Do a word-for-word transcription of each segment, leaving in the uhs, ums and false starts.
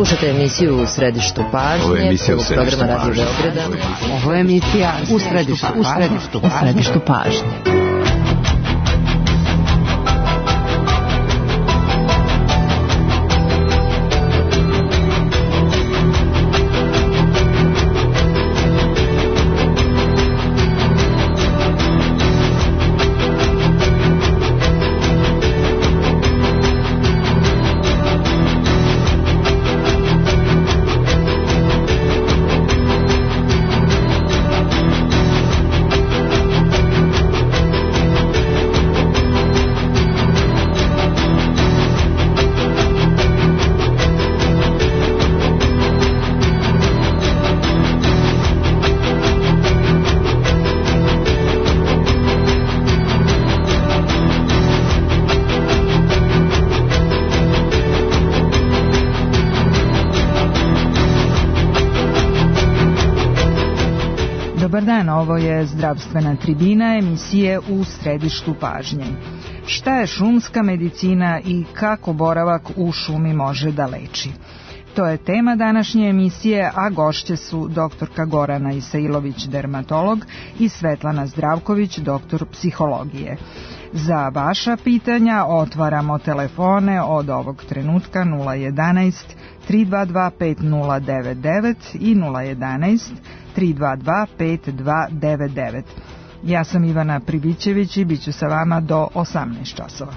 Slušate emisiju U središtu pažnje. Ovo je emisija U središtu programa Radio Beograda. Ovo je emisija U središtu, u središtu, u središtu pažnje. Dobar dan, ovo je zdravstvena tribina emisije U središtu pažnje. Šta je šumska medicina i kako boravak u šumi može da leči? To je tema današnje emisije, a gošće su doktorka Gorana Isailović, dermatolog, i Svetlana Zdravković, doktor psihologije. Za vaša pitanja otvaramo telefone od ovog trenutka nula jedanaest tri dva dva pet nula devet devet i nula jedanaest tri dva dva pet dva devet devet. Ja sam Ivana Pribićević i bit ću sa vama do osamnaest časova.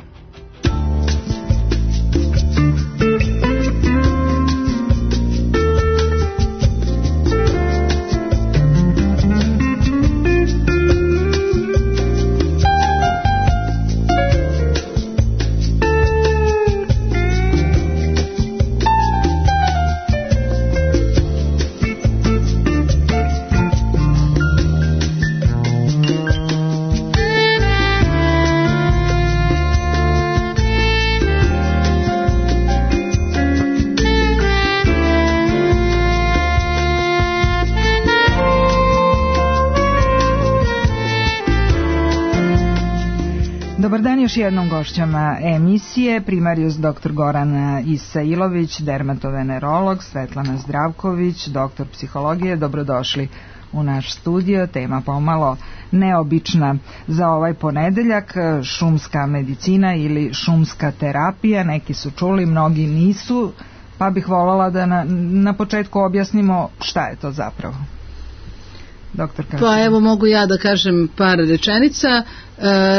Dobar dan još jednom gošćama emisije, primarijus doktor Goran Isailović, dermatovenerolog, Svetlana Zdravković, doktor psihologije. Dobrodošli u naš studio. Tema pomalo neobična za ovaj ponedeljak, šumska medicina ili šumska terapija. Neki su čuli, mnogi nisu, pa bih voljela da na, na početku objasnimo šta je to zapravo. Doktor, pa evo mogu ja da kažem par rečenica. E,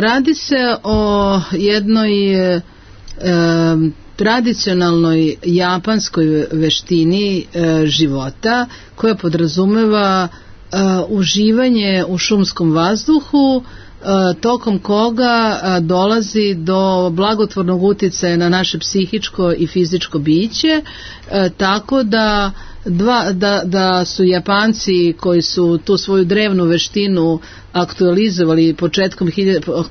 radi se o jednoj e, tradicionalnoj japanskoj veštini e, života koja podrazumeva e, uživanje u šumskom vazduhu, e, tokom koga e, dolazi do blagotvornog uticaja na naše psihičko i fizičko biće, e, tako da Dva, da, da su Japanci koji su tu svoju drevnu veštinu aktualizovali početkom,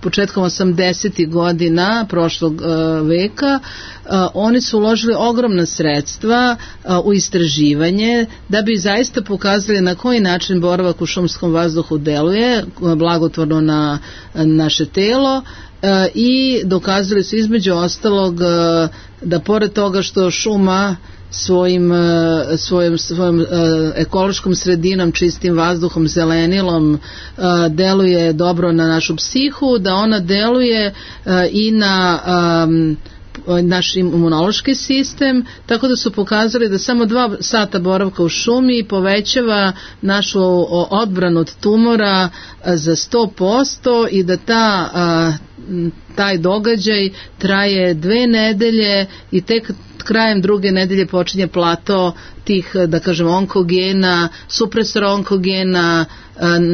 početkom osamdesetih godina prošlog uh, veka, uh, oni su uložili ogromna sredstva uh, u istraživanje da bi zaista pokazali na koji način boravak u šumskom vazduhu deluje uh, blagotvorno na uh, naše telo. Uh, i dokazali su između ostalog uh, da pored toga što šuma svojim, svojim, svojim uh, ekološkom sredinom, čistim vazduhom, zelenilom uh, deluje dobro na našu psihu, da ona deluje uh, i na um, naš imunološki sistem, tako da su pokazali da samo dva sata boravka u šumi povećava našu odbranu od tumora za sto posto i da ta, taj događaj traje dve nedelje i tek krajem druge nedelje počinje plato tih, da kažem, onkogena, supresor onkogena,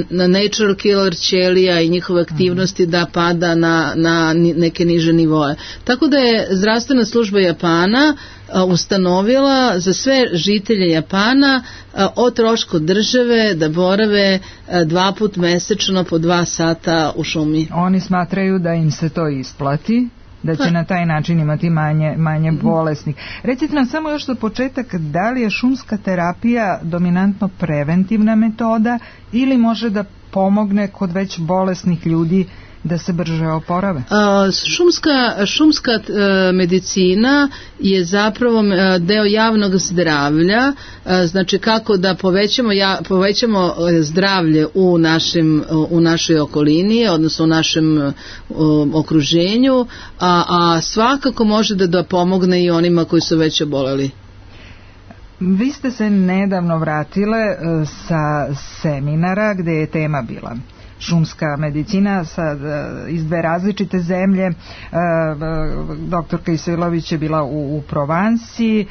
natural killer ćelija i njihove aktivnosti da pada na, na neke niže nivoe. Tako da je zdravstvena služba Japana ustanovila za sve žitelje Japana o trošku države da borave dva put mesečno po dva sata u šumi. Oni smatraju da im se to isplati, da će na taj način imati manje, manje bolesnih. Recite nam samo još za početak, da li je šumska terapija dominantno preventivna metoda ili može da pomogne kod već bolesnih ljudi da se brže oporave? A, šumska, šumska a, medicina je zapravo a, deo javnog zdravlja, a, znači kako da povećamo, ja, povećamo zdravlje u, našim, u našoj okolini, odnosno u našem a, okruženju, a, a svakako može da, da pomogne i onima koji su već oboleli. Vi ste se nedavno vratile sa seminara gde je tema bila šumska medicina sad, iz dve različite zemlje. Doktorka Isailović je bila u, u Provansi,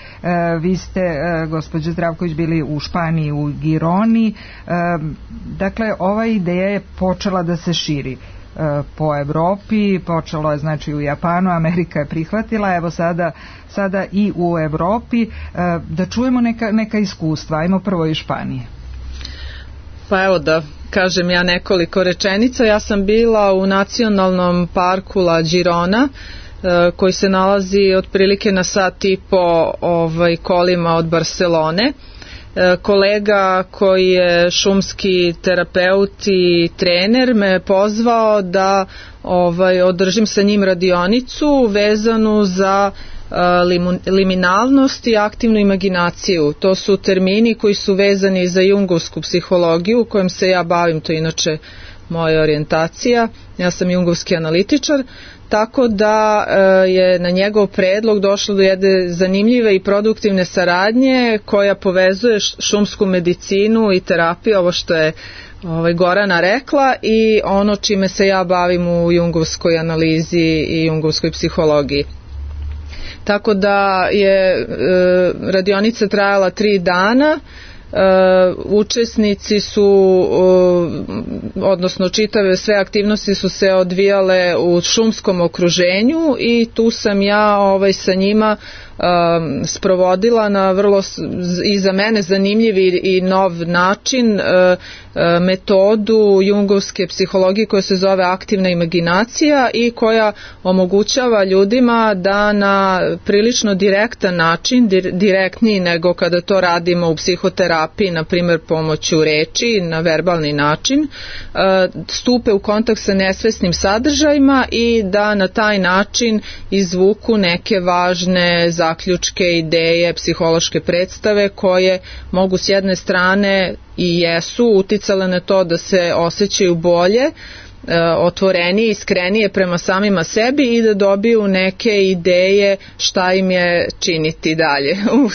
vi ste, gospođa Zdravković, bili u Španiji, u Gironi. Dakle, ova ideja je počela da se širi po Evropi, počelo je znači u Japanu, Amerika je prihvatila, evo sada, sada i u Evropi. Da čujemo neka, neka iskustva, ajmo prvo iz Španije. Pa evo da kažem ja nekoliko rečenica. Ja sam bila u nacionalnom parku La Girona, koji se nalazi otprilike na sat i po ovaj, kolima od Barcelone. Kolega koji je šumski terapeut i trener me je pozvao da ovaj, održim sa njim radionicu vezanu za uh, liminalnost i aktivnu imaginaciju. To su termini koji su vezani za jungovsku psihologiju kojom se ja bavim, to je inače moja orijentacija. Ja sam jungovski analitičar. Tako da je na njegov predlog došlo do jedne zanimljive i produktivne saradnje koja povezuje šumsku medicinu i terapiju, ovo što je ovaj, Gorana rekla, i ono čime se ja bavim u jungovskoj analizi i jungovskoj psihologiji. Tako da je radionica trajala tri dana. Uh, učesnici su uh, odnosno čitave sve aktivnosti su se odvijale u šumskom okruženju i tu sam ja ovaj, sa njima um, sprovodila na vrlo i za mene zanimljiv i nov način uh, uh, metodu jungovske psihologije koja se zove aktivna imaginacija i koja omogućava ljudima da na prilično direktan način, dir, direktniji nego kada to radimo u psihoterapiji, na primjer pomoću reči, na verbalni način, stupe u kontakt sa nesvesnim sadržajima i da na taj način izvuku neke važne zaključke, ideje, psihološke predstave koje mogu s jedne strane i jesu uticale na to da se osjećaju bolje, otvorenije, iskrenije prema samima sebi i da dobiju neke ideje šta im je činiti dalje u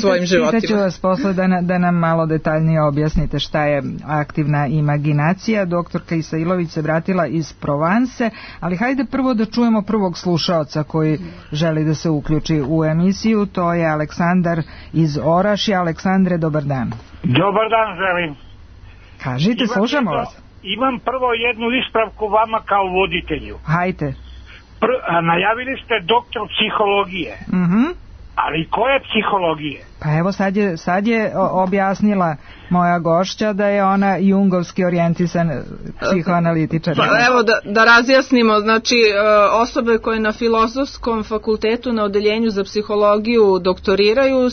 svojim životima. Pitaću vas posle da, na, da nam malo detaljnije objasnite šta je aktivna imaginacija. Doktorka Isailović se vratila iz Provanse, ali hajde prvo da čujemo prvog slušaoca koji želi da se uključi u emisiju. To je Aleksandar iz Orašja. Aleksandre, dobar dan. Dobar dan želim. Kažite, Imam slušamo jedno... vas. Imam prvo jednu ispravku vama kao voditelju. Hajde. Pr- najavili ste doktor psihologije. Mhm. Ali koje psihologije? Pa evo sad je, sad je objasnila moja gošća da je ona jungovski orijentisan psihoanalitičar. Pa evo da, da razjasnimo, znači osobe koje na Filozofskom fakultetu na odeljenju za psihologiju doktoriraju,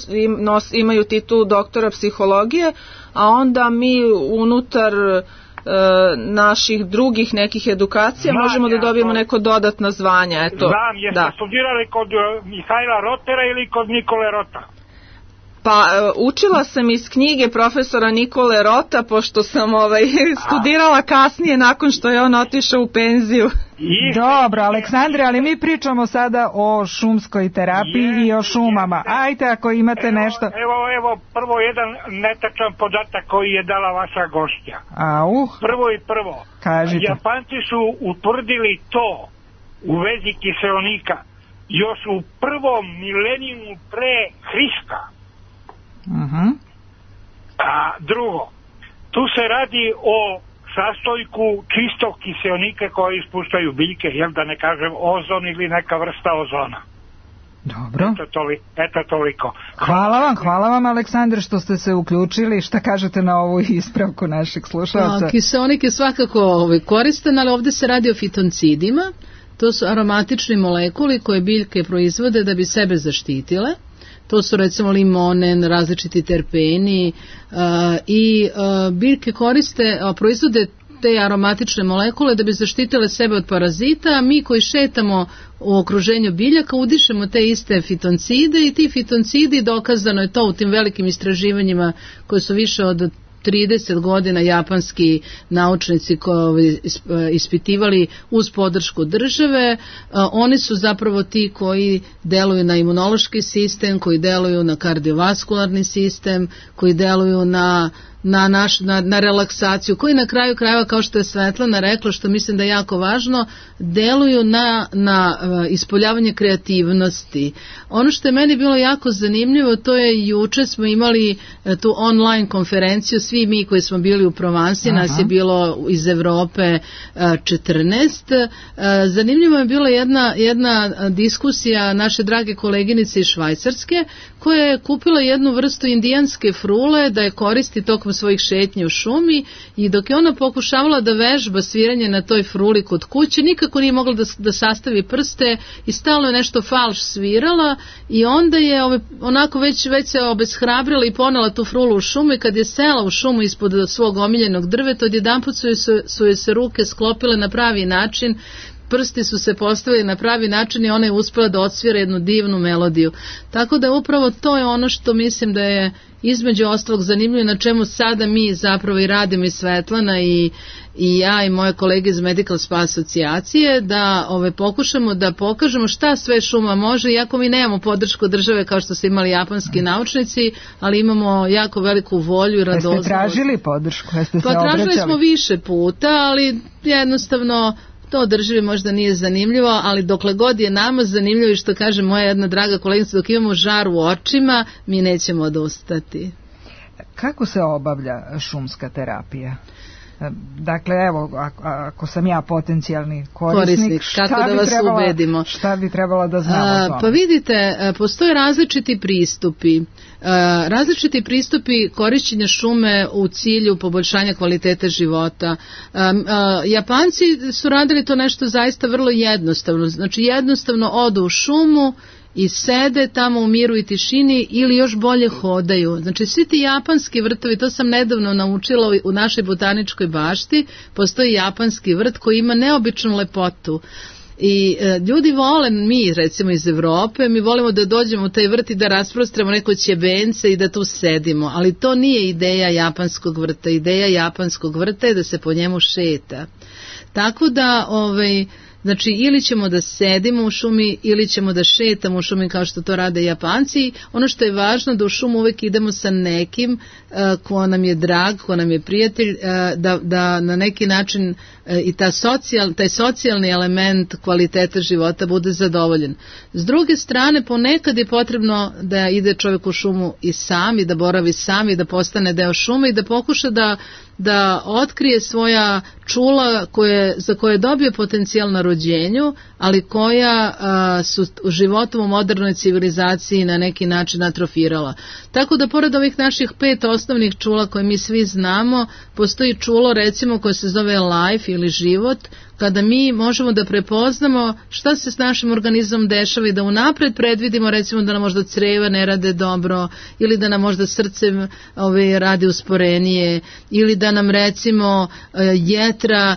imaju titulu doktora psihologije, a onda mi unutar naših drugih nekih edukacija znam, možemo da dobijemo to... neko dodatno zvanje. Eto, znam, jeste da. Studirali kod Mihajla Rotera ili kod Nikole Rota? Pa učila sam iz knjige profesora Nikole Rota, pošto sam ovaj, studirala kasnije nakon što je on otišao u penziju. Iste. Dobro, Aleksandre, ali mi pričamo sada o šumskoj terapiji jeste, i o šumama. Jeste. Ajte, ako imate evo, nešto. Evo, evo, prvo jedan netačan podatak koji je dala vaša gošća. Au. Prvo i prvo. Kažite. Japanci su utvrdili to u vezi kiseonika još u prvom milenijumu pre Hrista. Uh-huh. A drugo, tu se radi o sastojku čistog kiseonika koje ispuštaju biljke, jel da ne kažem ozon ili neka vrsta ozona. Dobro. Eto, toli, eto toliko. Hvala vam, hvala vam Aleksandar što ste se uključili. Šta kažete na ovu ispravku našeg slušalca? A, kiseonik je svakako ovaj, koristan, ali ovde se radi o fitoncidima. To su aromatični molekuli koje biljke proizvode da bi sebe zaštitile. To su recimo limonen, različiti terpeni uh, i uh, biljke koriste, uh, proizvode te aromatične molekule da bi zaštitile sebe od parazita, a mi koji šetamo u okruženju biljaka udišemo te iste fitoncide i ti fitoncidi, dokazano je to u tim velikim istraživanjima koje su više od trideset godina japanski naučnici koji ispitivali uz podršku države, oni su zapravo ti koji deluju na imunološki sistem, koji deluju na kardiovaskularni sistem, koji deluju na Na, naš, na, na relaksaciju, koji na kraju krajeva, kao što je Svetlana rekla, što mislim da je jako važno, deluju na, na uh, ispoljavanje kreativnosti. Ono što je meni bilo jako zanimljivo, to je juče smo imali uh, tu online konferenciju, svi mi koji smo bili u Provansi, Aha. nas je bilo iz Evrope uh, četrnaest. Uh, zanimljivo je bila jedna, jedna diskusija naše drage koleginice iz Švajcarske, koja je kupila jednu vrstu indijanske frule da je koristi tokom svojih šetnji u šumi i dok je ona pokušavala da vežba sviranje na toj fruli kod kuće, nikako nije mogla da, da sastavi prste i stalno je nešto falš svirala i onda je ove, onako već, već se obeshrabrila i ponela tu frulu u šumu i kad je sela u šumu ispod svog omiljenog drveta, odjedanput su, su joj se ruke sklopile na pravi način, prsti su se postavili na pravi način i ona je uspela da odsvira jednu divnu melodiju. Tako da upravo to je ono što mislim da je između ostalog zanimljivo, na čemu sada mi zapravo i radimo i Svetlana i, i ja i moje kolege iz Medical Spa asocijacije, da ove, pokušamo da pokažemo šta sve šuma može, iako mi nemamo podršku države kao što su imali japanski naučnici, ali imamo jako veliku volju i radoznalost. Jeste tražili podršku? Jeste se pa tražili obraćali? smo više puta, ali jednostavno to državi možda nije zanimljivo, ali dokle god je nama zanimljivo i što kaže moja jedna draga kolegica, dok imamo žar u očima, mi nećemo odustati. Kako se obavlja šumska terapija? Dakle, evo, ako, ako sam ja potencijalni korisnik, korisnik šta, kako bi da vas trebala, ubedimo? šta bi trebalo da znam o tome? Pa vidite, postoje različiti pristupi. Različiti pristupi korišćenja šume u cilju poboljšanja kvalitete života. Japanci su radili to nešto zaista vrlo jednostavno. Znači jednostavno odu u šumu i sede tamo u miru i tišini ili još bolje hodaju. Znači svi ti japanski vrtovi, to sam nedavno naučila u našoj botaničkoj bašti, postoji japanski vrt koji ima neobičnu lepotu. I e, ljudi vole, mi recimo iz Evrope, mi volimo da dođemo u taj vrt i da rasprostremo neko ćebence i da tu sedimo, ali to nije ideja japanskog vrta. Ideja japanskog vrta je da se po njemu šeta. Tako da, ovaj, znači ili ćemo da sedimo u šumi ili ćemo da šetamo u šumi kao što to rade Japanci. Ono što je važno da u šumu uvek idemo sa nekim uh, ko nam je drag, ko nam je prijatelj, uh, da, da na neki način uh, i ta socijal, taj socijalni element kvaliteta života bude zadovoljen. S druge strane, ponekad je potrebno da ide čovjek u šumu i sam i da boravi sam i da postane deo šume i da pokuša da da otkrije svoja čula koje, za koje je dobio potencijal na rođenju, ali koja a, su životom u modernoj civilizaciji na neki način atrofirala. Tako da pored ovih naših pet osnovnih čula koje mi svi znamo, postoji čulo recimo koje se zove life ili život, kada mi možemo da prepoznamo šta se s našim organizmom dešava i da unapred predvidimo recimo da nam možda creva ne rade dobro ili da nam možda srce ove, radi usporenije ili da nam recimo jetra,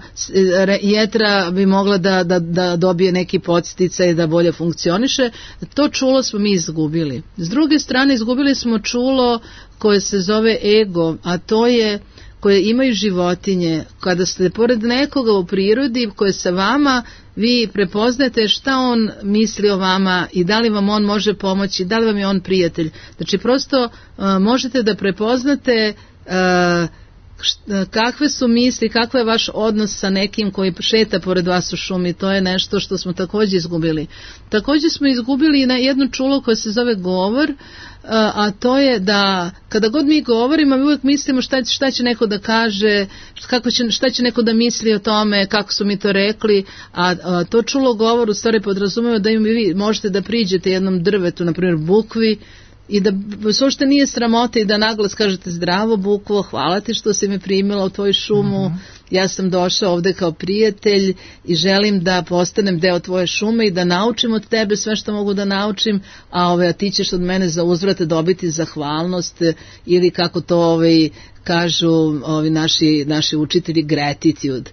jetra bi mogla da, da, da dobije neki podsticaj da bolje funkcioniše. To čulo smo mi izgubili. S druge strane izgubili smo čulo koje se zove ego, a to je koje imaju životinje. Kada ste pored nekoga u prirodi koje sa vama, vi prepoznate šta on misli o vama i da li vam on može pomoći, da li vam je on prijatelj. Znači prosto uh, možete da prepoznate uh, kakve su misli, kakav je vaš odnos sa nekim koji šeta pored vas u šumi. To je nešto što smo također izgubili. Također smo izgubili i na jedno čulo koje se zove govor, a to je da kada god mi govorimo mi uvijek mislimo šta, šta će neko da kaže, kako će, šta će neko da misli o tome, kako su mi to rekli, a, a to čulo govor u stvari podrazumeva da im vi možete da priđete jednom drvetu, na primjer bukvi, i da uopšte nije sramota i da naglas kažete zdravo bukvo, hvala ti što si me primila u tvoju šumu, uh-huh. ja sam došao ovde kao prijatelj i želim da postanem deo tvoje šume i da naučim od tebe sve što mogu da naučim, a, ove, a ti ćeš od mene za uzvrat dobiti zahvalnost ili kako to ovaj, kažu ovi naši, naši učitelji gratitude.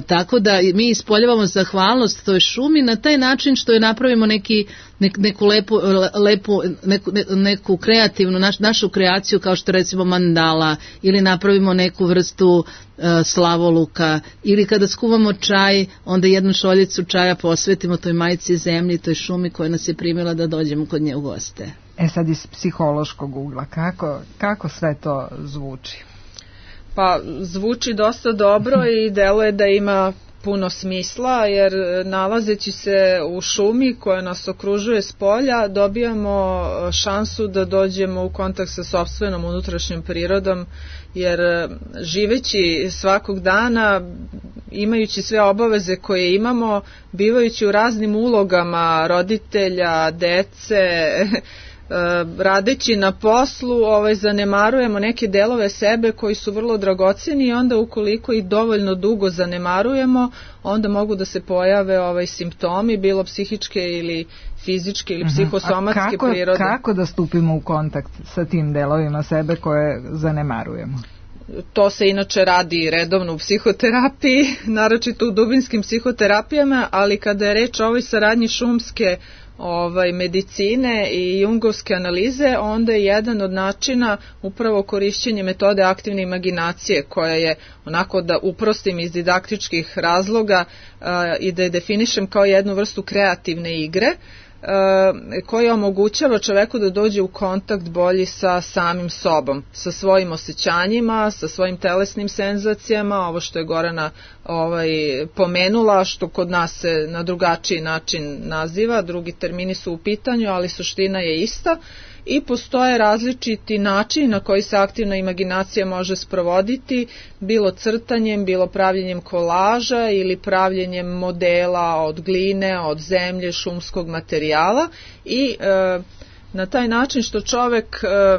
Tako da mi ispoljavamo zahvalnost toj šumi na taj način što je napravimo neki, ne, neku lepu, lepu neku, neku kreativnu, naš, našu kreaciju kao što recimo mandala ili napravimo neku vrstu uh, slavoluka ili kada skuvamo čaj, onda jednu šoljicu čaja posvetimo toj majci zemlji, toj šumi koja nas je primila da dođemo kod nje u goste. E sad iz psihološkog ugla, kako, kako sve to zvuči? Pa zvuči dosta dobro i deluje da ima puno smisla, jer nalazeći se u šumi koja nas okružuje s polja, dobijamo šansu da dođemo u kontakt sa sopstvenom unutrašnjom prirodom, jer živeći svakog dana, imajući sve obaveze koje imamo, bivajući u raznim ulogama roditelja, dece, radeći na poslu, ovaj, zanemarujemo neke delove sebe koji su vrlo dragoceni i onda ukoliko ih dovoljno dugo zanemarujemo, onda mogu da se pojave ovaj, simptomi, bilo psihičke ili fizičke ili psihosomatske A kako, prirode. Kako da stupimo u kontakt sa tim delovima sebe koje zanemarujemo? To se inače radi redovno u psihoterapiji, naročito u dubinskim psihoterapijama, ali kada je reč o ovoj saradnji šumske ovaj, medicine i jungovske analize, onda je jedan od načina upravo korišćenje metode aktivne imaginacije, koja je, onako da uprostim iz didaktičkih razloga a, i da je definišem kao jednu vrstu kreativne igre, koja omogućava čoveku da dođe u kontakt bolji sa samim sobom, sa svojim osjećanjima, sa svojim telesnim senzacijama, ovo što je Gorana ovaj, pomenula, što kod nas se na drugačiji način naziva, drugi termini su u pitanju, ali suština je ista. I postoje različiti načini na koji se aktivna imaginacija može sprovoditi, bilo crtanjem, bilo pravljenjem kolaža ili pravljenjem modela od gline, od zemlje, šumskog materijala i e, na taj način što čovek e,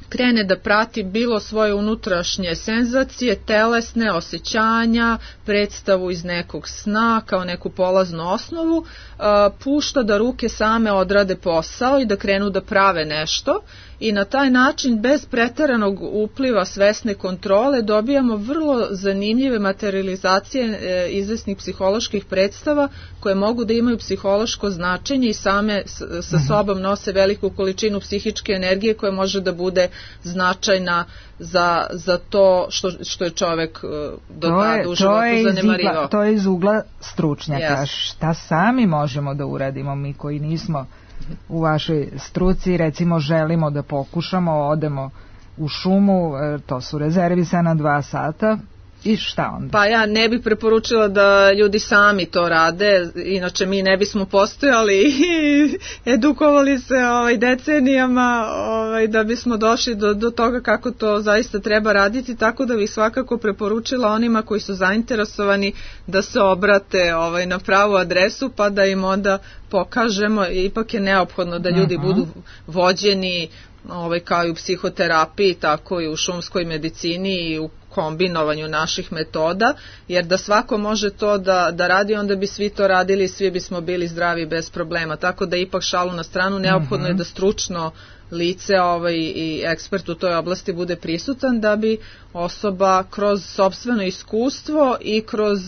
krene da prati bilo svoje unutrašnje senzacije, telesne osjećanja, predstavu iz nekog sna kao neku polaznu osnovu, pušta da ruke same odrade posao i da krenu da prave nešto i na taj način bez preteranog upliva svesne kontrole dobijamo vrlo zanimljive materializacije izvesnih psiholoških predstava koje mogu da imaju psihološko značenje i same sa sobom nose veliku količinu psihičke energije koja može da bude značajna za, za to što, što je čovek do tada u životu zanemarivao. To je iz ugla stručnjaka. Yes. Šta sami možemo da uradimo mi koji nismo u vašoj struci, recimo želimo da pokušamo, odemo u šumu, to su rezervisana dva sata, i šta onda? Pa ja ne bih preporučila da ljudi sami to rade, inače mi ne bismo postojali i edukovali se ovaj, decenijama ovaj, da bismo došli do, do toga kako to zaista treba raditi, tako da bih svakako preporučila onima koji su zainteresovani da se obrate ovaj, na pravu adresu pa da im onda pokažemo, ipak je neophodno da ljudi uh-huh. budu vođeni ovaj, kao i u psihoterapiji, tako i u šumskoj medicini i u kombinovanju naših metoda, jer da svako može to da, da radi, onda bi svi to radili i svi bismo bili zdravi bez problema. Tako da ipak šalu na stranu, neophodno mm-hmm. je da stručno lice ovaj, i ekspert u toj oblasti bude prisutan da bi osoba kroz sopstveno iskustvo i kroz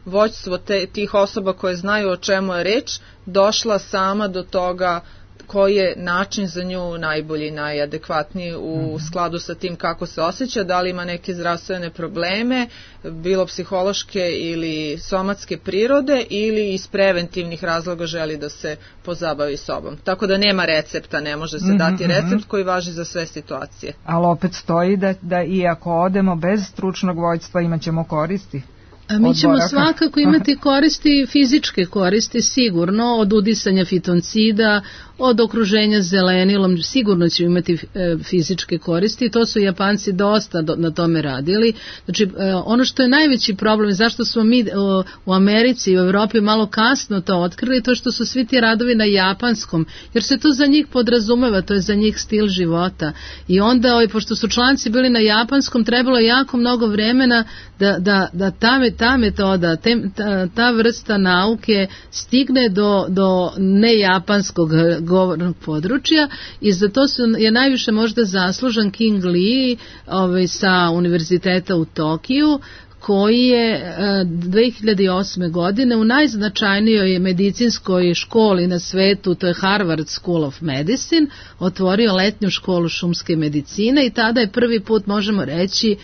vođstvo te, tih osoba koje znaju o čemu je reč, došla sama do toga koji je način za nju najbolji, najadekvatniji u skladu sa tim kako se osjeća, da li ima neke zdravstvene probleme, bilo psihološke ili somatske prirode ili iz preventivnih razloga želi da se pozabavi sobom. Tako da nema recepta, ne može se dati recept koji važi za sve situacije. Ali opet stoji da, da i ako odemo bez stručnog vođstva imat ćemo koristi. A mi ćemo svakako imati koristi, fizičke koristi sigurno, od udisanja fitoncida, od okruženja zelenilom, sigurno ćemo imati e, fizičke koristi i to su Japanci dosta do, na tome radili. Znači e, ono što je najveći problem, zašto smo mi o, u Americi i u Evropi malo kasno to otkrili, to što su svi ti radovi na japanskom, jer se to za njih podrazumeva, to je za njih stil života. I onda, ovaj, pošto su članci bili na japanskom, trebalo je jako mnogo vremena da, da, da ta, ta metoda, te, ta, ta vrsta nauke stigne do, do nejapanskog govornog područja i za to su, je najviše možda zaslužan King Lee ovaj, sa univerziteta u Tokiju, koji je dve hiljade osme. godine u najznačajnijoj medicinskoj školi na svetu, to je Harvard School of Medicine, otvorio letnju školu šumske medicine i tada je prvi put, možemo reći,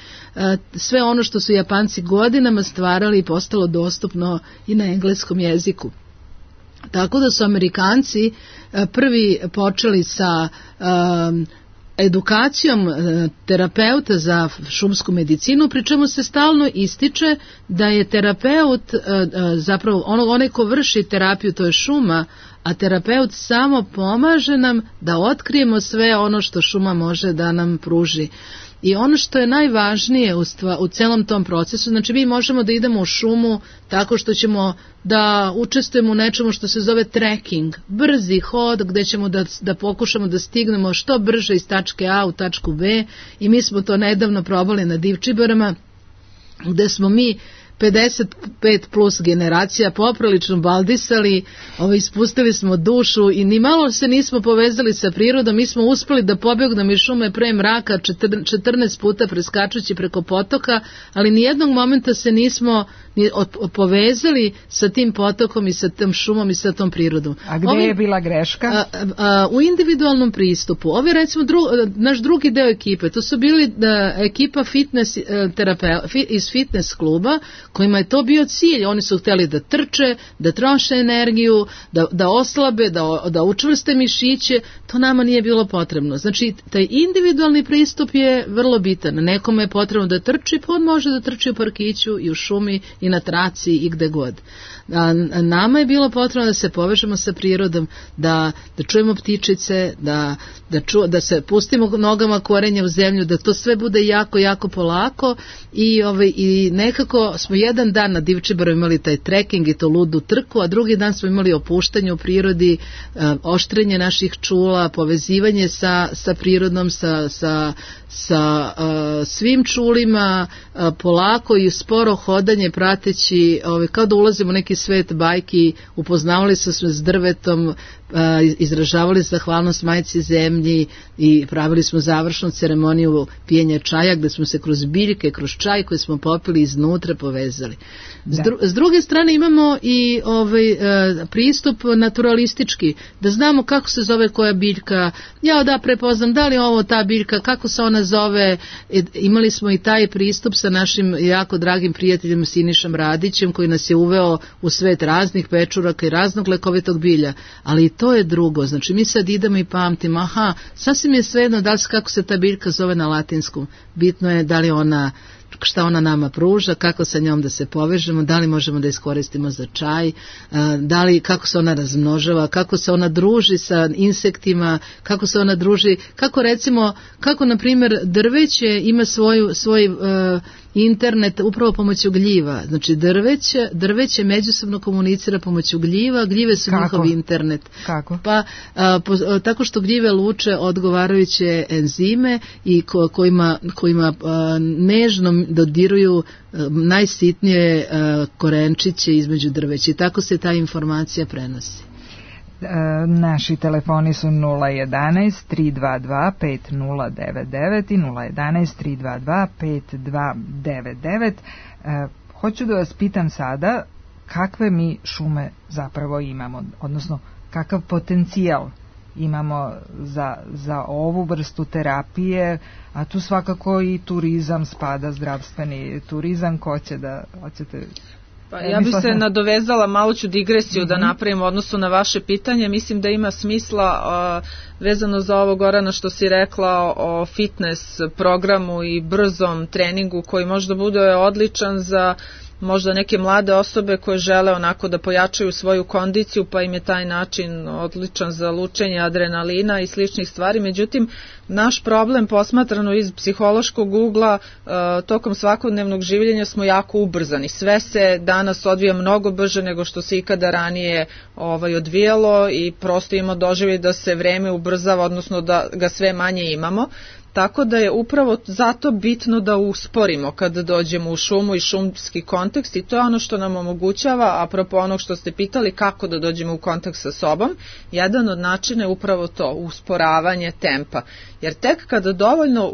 sve ono što su Japanci godinama stvarali i postalo dostupno i na engleskom jeziku. Tako da su Amerikanci prvi počeli sa um, edukacijom terapeuta za šumsku medicinu, pri čemu se stalno ističe da je terapeut zapravo ono, onaj ko vrši terapiju, to je šuma, a terapeut samo pomaže nam da otkrijemo sve ono što šuma može da nam pruži. I ono što je najvažnije u, stva, u celom tom procesu, znači mi možemo da idemo u šumu tako što ćemo da učestvujemo u nečemu što se zove trekking, brzi hod gde ćemo da, da pokušamo da stignemo što brže iz tačke A u tačku B i mi smo to nedavno probali na Divčibarama gde smo mi pedeset pet plus generacija poprilično baldisali, ovaj, ispustili smo dušu i ni malo se nismo povezali sa prirodom, mi smo uspeli da pobegnemo iz šume pre mraka četrnaest puta preskačući preko potoka, ali nijednog momenta se nismo ni povezali sa tim potokom i sa tom šumom i sa tom prirodom. A gde Ovi, je bila greška? A, a, u individualnom pristupu. Ovo je recimo dru, naš drugi deo ekipe, to su bili da, ekipa fitness, terapeu, fit, iz fitness kluba kojima je to bio cilj. Oni su hteli da trče, da troše energiju, da, da oslabe, da, da učvrste mišiće. To nama nije bilo potrebno. Znači, taj individualni pristup je vrlo bitan. Nekome je potrebno da trči, pa on može da trči u parkiću i u šumi i na traci i gde god. A nama je bilo potrebno da se povežemo sa prirodom, da, da čujemo ptičice, da, da, ču, da se pustimo nogama korenja u zemlju, da to sve bude jako, jako polako i, ovaj, i nekako smo jedan dan na Divčibaru imali taj trekking i to ludu trku, a drugi dan smo imali opuštanje u prirodi, oštrenje naših čula, povezivanje sa, sa prirodom, sa, sa, sa uh, svim čulima, uh, polako i sporo hodanje prateći, ovaj, kao da ulazimo u neki svet bajki, upoznavali su se s drvetom, izražavali zahvalnost majci zemlji i pravili smo završnu ceremoniju pijenja čaja gde smo se kroz biljke, kroz čaj koji smo popili iznutra povezali. S, dru, s druge strane imamo i ovaj, pristup naturalistički, da znamo kako se zove koja biljka, ja da prepoznam da li je ovo ta biljka, kako se ona zove. Imali smo i taj pristup sa našim jako dragim prijateljem Sinišom Radićem koji nas je uveo u svet raznih pečuraka i raznog lekovitog bilja, ali to je drugo, znači mi sad idemo i pamtimo, aha, sasvim je svejedno da li se, kako se ta biljka zove na latinskom, bitno je da li ona, šta ona nama pruža, kako sa njom da se povežemo, da li možemo da iskoristimo za čaj, da li, kako se ona razmnožava, kako se ona druži sa insektima, kako se ona druži, kako recimo, kako na primjer drveće ima svoju, svoj uh, internet upravo pomoću gljiva, znači drveće, drveće međusobno komunicira pomoću gljiva, gljive su kako? Njihov internet. Kako? Pa a, po, a, tako što gljive luče odgovarajuće enzime i ko, kojima, kojima a, nežno dodiruju a, najsitnije a, korenčiće između drveća i tako se ta informacija prenosi. Naši telefoni su nula jedanaest tri dva dva pet nula devet devet i nula jedanaest tri dva dva pet dva devet devet. Hoću da vas pitam sada kakve mi šume zapravo imamo, odnosno kakav potencijal imamo za, za ovu vrstu terapije, a tu svakako i turizam spada, zdravstveni turizam. Ko će da, hoćete... Pa ja bih se nadovezala, malo ću digresiju mm-hmm. da napravim u odnosu na vaše pitanje. Mislim da ima smisla uh, vezano za ovo, Gorana, što si rekla o fitness programu i brzom treningu koji možda bude odličan za možda neke mlade osobe koje žele onako da pojačaju svoju kondiciju, pa im je taj način odličan za lučenje adrenalina i sličnih stvari. Međutim, naš problem posmatrano iz psihološkog ugla, tokom svakodnevnog življenja smo jako ubrzani. Sve se danas odvija mnogo brže nego što se ikada ranije ovaj, odvijalo i prosto imamo doživljaj da se vreme ubrzava, odnosno da ga sve manje imamo. Tako da je upravo zato bitno da usporimo kada dođemo u šumu i šumski kontekst, i to je ono što nam omogućava, apropo onog što ste pitali, kako da dođemo u kontakt sa sobom. Jedan od načina je upravo to, usporavanje tempa. Jer tek kada dovoljno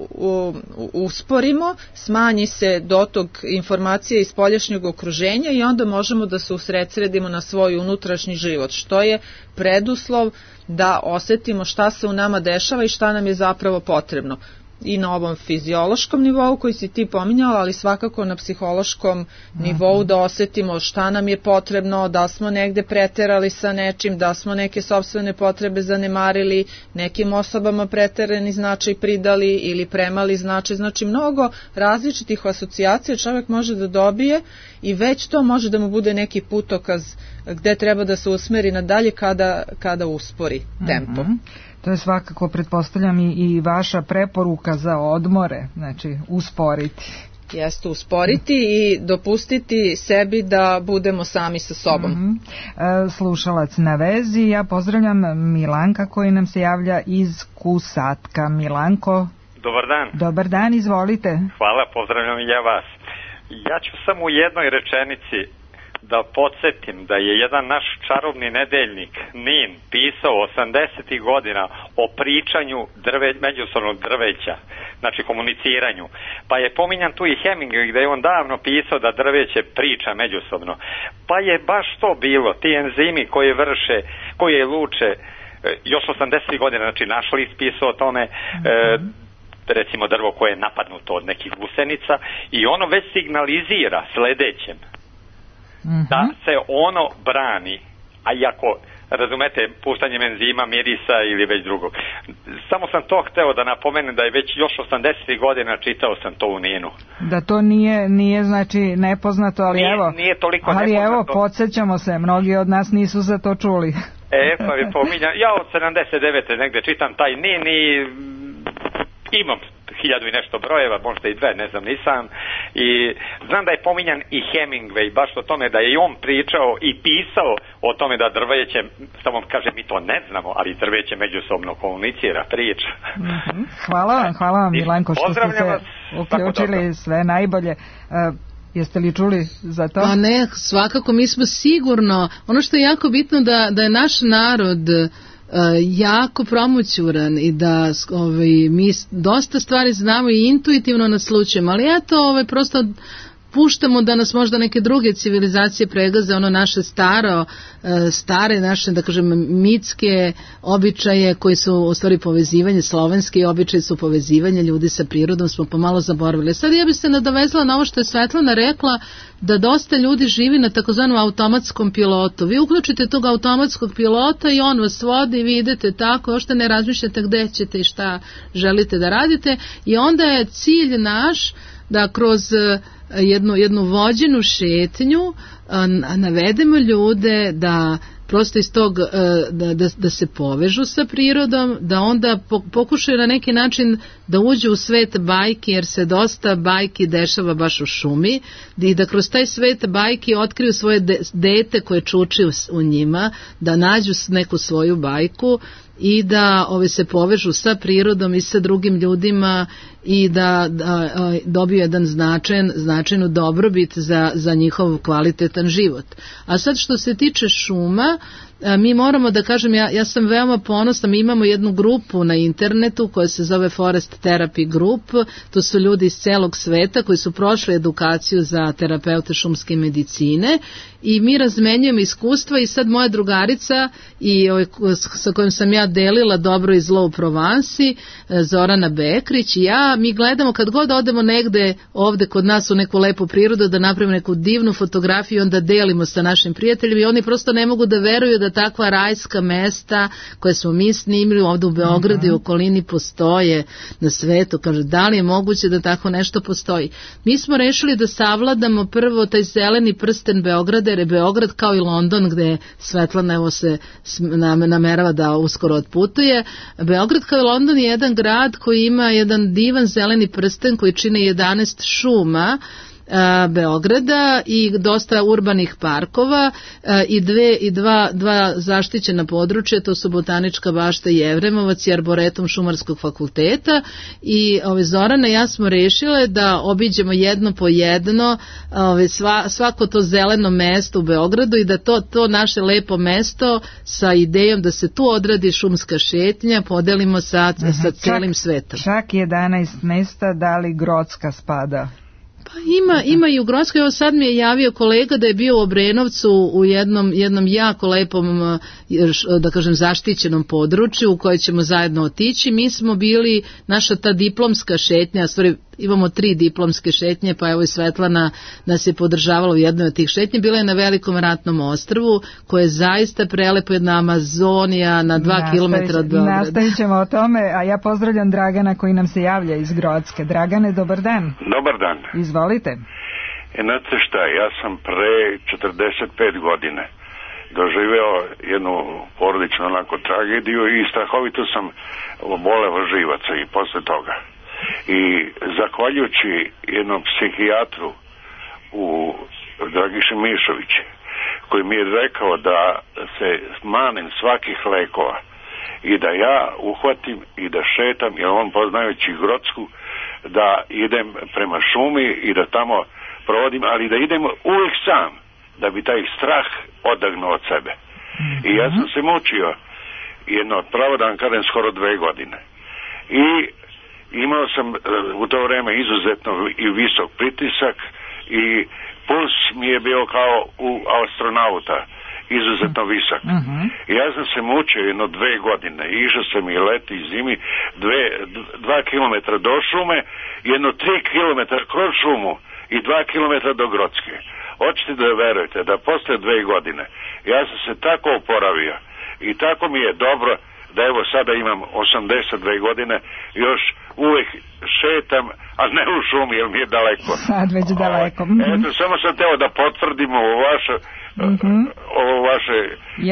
usporimo, smanji se dotok informacije iz spoljašnjeg okruženja i onda možemo da se usredsredimo na svoj unutrašnji život, što je preduslov da osetimo šta se u nama dešava i šta nam je zapravo potrebno. I na ovom fiziološkom nivou koji si ti pominjala, ali svakako na psihološkom nivou da osetimo šta nam je potrebno, da smo negde preterali sa nečim, da smo neke sopstvene potrebe zanemarili, nekim osobama preterani značaj pridali ili premali značaj. Znači mnogo različitih asocijacija čovjek može da dobije i već to može da mu bude neki putokaz gde treba da se usmeri nadalje kada, kada uspori tempo. Mm-hmm. To je svakako, pretpostavljam, i, i vaša preporuka za odmore, znači usporiti. Jeste, usporiti i dopustiti sebi da budemo sami sa sobom. Mm-hmm. E, slušalac na vezi, ja pozdravljam Milanka koji nam se javlja iz Kusatka. Milanko. Dobar dan. Dobar dan, izvolite. Hvala, pozdravljam i ja vas. Ja ću samo u jednoj rečenici da podsjetim da je jedan naš čarobni nedeljnik Nin pisao osamdesetih godina o pričanju drve, međusobnog drveća, znači komuniciranju. Pa je pominjan tu i Hemingway gde je on davno pisao da drveće priča međusobno. Pa je baš to bilo, ti enzimi koji vrše, koji je luče još osamdesetih godina, znači našli ispisao o tome, mm-hmm. e, recimo drvo koje je napadnuto od nekih gusenica i ono već signalizira sledećem da se ono brani, a iako, razumete, puštanjem enzima, mirisa ili već drugog. Samo sam to hteo da napomenem da je već još osamdesetih godina čitao sam to u Ninu. Da to nije, nije znači nepoznato, ali nije, evo, nije toliko ali nepoznato. Evo, podsjećamo se, mnogi od nas nisu za to čuli. E, pa je pominjan, ja od sedamdeset devete negde čitam taj Nin i imam hiljadu i nešto brojeva, možda i dve, ne znam, nisam. I znam da je pominjan i Hemingway, baš o tome da je i on pričao i pisao o tome da drveće, samo kaže mi to ne znamo, ali drveće međusobno komunicira, priča. Mm-hmm. Hvala vam, hvala vam Milanko što ste se uključili, sve najbolje. Uh, Jeste li čuli za to? Pa ne, svakako, mi smo sigurno, ono što je jako bitno da, da je naš narod Uh, jako promoćuran i da ovaj, mi dosta stvari znamo i intuitivno naslučujemo, ali eto ovaj, prosto puštamo da nas možda neke druge civilizacije pregaze, ono naše staro, stare naše, da kažem, mitske običaje koji su u stvari povezivanje, slovenski običaji su povezivanje ljudi sa prirodom, smo pomalo zaboravili. Sad ja bih se nadovezala na ovo što je Svetlana rekla, da dosta ljudi živi na takozvanom automatskom pilotu. Vi uključite tog automatskog pilota i on vas vodi i vi idete tako, ošte ne razmišljate gde ćete i šta želite da radite i onda je cilj naš da kroz jednu, jednu vođenu šetnju navedemo ljude da prosto iz tog da, da, da se povežu sa prirodom, da onda pokušaju na neki način da uđu u svet bajki, jer se dosta bajki dešava baš u šumi, i da kroz taj svet bajki otkriju svoje dete koje čuči u njima, da nađu neku svoju bajku i da ove, se povežu sa prirodom i sa drugim ljudima i da, da dobiju jedan značajan, značajnu dobrobit za, za njihov kvalitetan život. A sad što se tiče šuma, mi moramo da kažem, ja, ja sam veoma ponosna, mi imamo jednu grupu na internetu koja se zove Forest Therapy Group, to su ljudi iz celog sveta koji su prošli edukaciju za terapeute šumske medicine i mi razmenjujemo iskustva i sad moja drugarica i ovaj, sa kojom sam ja ona delila dobro i zlo u Provansi, Zorana Bekrić i ja, mi gledamo kad god odemo negde ovde kod nas u neku lepu prirodu da napravimo neku divnu fotografiju, onda delimo sa našim prijateljima i oni prosto ne mogu da veruju da takva rajska mesta koje smo mi snimili ovde u Beogradu i okolini postoje na svetu. Kaže, da li je moguće da tako nešto postoji? Mi smo rešili da savladamo prvo taj zeleni prsten Beograda, jer je Beograd kao i London gde Svetlana evo se namerava da uskoro otputuje. Beograd kao i London je jedan grad koji ima jedan divan zeleni prsten koji čine jedanaest šuma Beograda i dosta urbanih parkova i dve i dva dva zaštićena područja, to su Botanička bašta i Jevremovac i Arboretum Šumarskog fakulteta. I ove Zorana i ja smo rešile da obiđemo jedno po jedno ove sva, svako to zeleno mesto u Beogradu i da to to naše lepo mesto sa idejom da se tu odradi šumska šetnja podelimo sa Aha, sa celim čak, svetom. Čak jedanaest mesta, da li Grocka spada? Pa ima, ima i u Grockoj, evo sad mi je javio kolega da je bio u Obrenovcu u jednom, jednom jako lepom, da kažem, zaštićenom području u koje ćemo zajedno otići. Mi smo bili, naša ta diplomska šetnja, stvari, imamo tri diplomske šetnje, pa evo i Svetlana nas je podržavala u jednoj od tih šetnje, bila je na Velikom ratnom ostrvu, koje je zaista prelepo, jedna Amazonija na dva Nastavić, kilometra od Beograda. Nastavit ćemo o tome, a ja pozdravljam Dragana koji nam se javlja iz Grocke. Dragane, dobar dan. Dobar dan. Izvolite. E, znate šta, ja sam pre četrdeset pet godine doživeo jednu porodičnu onako tragediju i strahovito sam oboleo živaca i posle toga. I zahvaljujući jednom psihijatru u Dragiši Mišović, koji mi je rekao da se manem svakih lekova i da ja uhvatim i da šetam, jer on poznajući Grocku, da idem prema šumi i da tamo provodim, ali da idem uvijek sam, da bi taj strah odagnuo od sebe. I ja sam se mučio jedno, pravo da vam kažem, skoro dve godine. I imao sam u to vreme izuzetno i visok pritisak i puls mi je bio kao u astronauta, izuzetno visok. Uh-huh. I ja sam se mučio jedno dve godine, išao sam i leti i zimi, dve, dva kilometra do šume, jedno tri kilometra kroz šumu i dva kilometra do Grocke. Hoćete da verujete da posle dve godine ja sam se tako oporavio i tako mi je dobro da evo sada imam osamdeset dve godine, još uvijek šetam, a ne u šumi jer mi je daleko. Sad već daleko. Eto, samo sam teo da potvrdim ovo vaše, mm-hmm. ovo vaše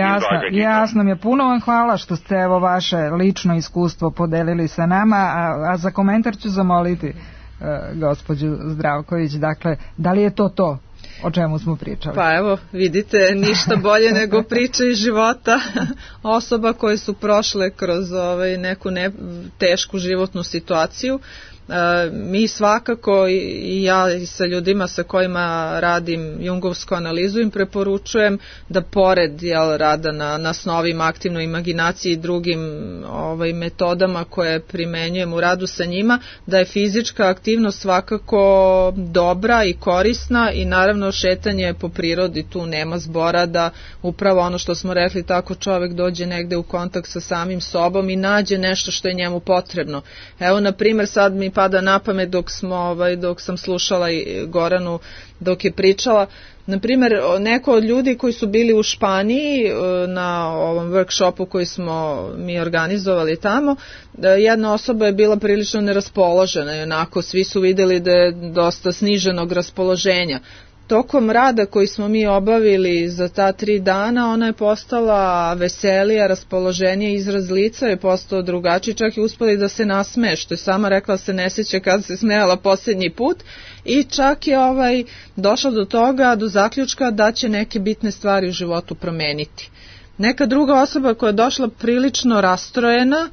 jasno, izlaganje. Jasno mi je, puno vam hvala što ste evo vaše lično iskustvo podelili sa nama, a, a za komentar ću zamoliti uh, gospođu Zdravković, dakle, da li je to to o čemu smo pričali? Pa evo, vidite, ništa bolje nego priče iz života osoba koje su prošle kroz ovaj, neku ne, tešku životnu situaciju. E, mi svakako i ja i sa ljudima sa kojima radim jungovsku analizu im preporučujem da pored jel, rada na, na snovima, aktivnoj imaginaciji i drugim ovaj, metodama koje primenjujem u radu sa njima, da je fizička aktivnost svakako dobra i korisna i naravno šetanje po prirodi, tu nema zbora, da upravo ono što smo rekli, tako čovek dođe negde u kontakt sa samim sobom i nađe nešto što je njemu potrebno. Evo na primjer sad mi pada na pamet dok smo ovaj dok sam slušala i Goranu dok je pričala, na primjer neko od ljudi koji su bili u Španiji na ovom workshopu koji smo mi organizovali tamo, jedna osoba je bila prilično neraspoložena i onako svi su videli da je dosta sniženog raspoloženja. Tokom rada koji smo mi obavili za ta tri dana, ona je postala veselija, raspoloženija, izraz lica je postao drugačiji, čak i uspeli da se nasmeje, što je sama rekla se ne sjeća kad se smejala posljednji put i čak je ovaj došla do toga, do zaključka da će neke bitne stvari u životu promeniti. Neka druga osoba koja je došla prilično rastrojena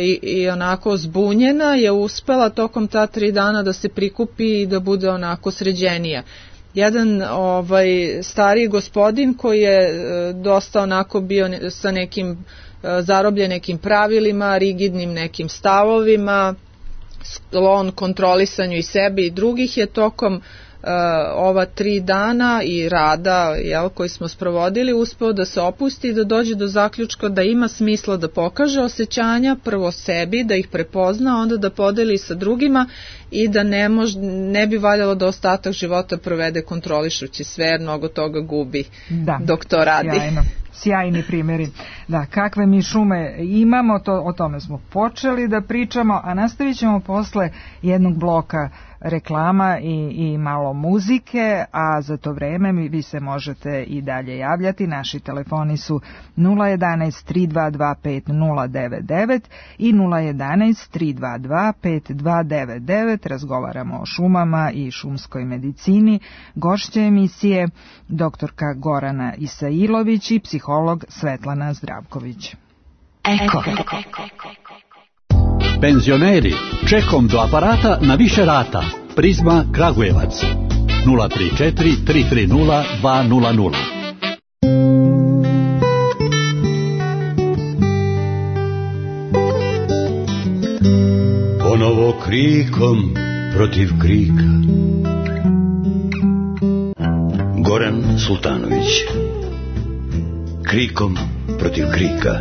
I, i onako zbunjena je uspela tokom ta tri dana da se prikupi i da bude onako sređenija. Jedan ovaj stariji gospodin koji je dosta onako bio sa nekim zarobljen nekim pravilima, rigidnim nekim stavovima, sklon kontrolisanju i sebe i drugih, je tokom ova tri dana i rada, jel, koji smo sprovodili, uspeo da se opusti i da dođe do zaključka da ima smisla da pokaže osjećanja prvo sebi, da ih prepozna, onda da podeli sa drugima i da ne, mož, ne bi valjalo da ostatak života provede kontrolišući sve, jer mnogo toga gubi da, dok to radi. Sjajno. Sjajni primjeri. Da, kakve mi šume imamo, to, o tome smo počeli da pričamo, a nastavit ćemo posle jednog bloka reklama i, i malo muzike, a za to vreme mi, vi se možete i dalje javljati. Naši telefoni su nula jedanaest tri dva dva pet nula devet devet i nula jedanaest tri dva dva pet dva devet devet. Razgovaramo o šumama i šumskoj medicini. Gošća emisije doktorka Gorana Isailović i psiholog Svetlana Zdravković. Eko. Penzioneri, čekom do aparata na više rata. Prizma Kragujevac nula tri četiri tri tri nula dva nula nula. Ponovo krikom protiv krika. Goran Sultanović. Krikom protiv krika.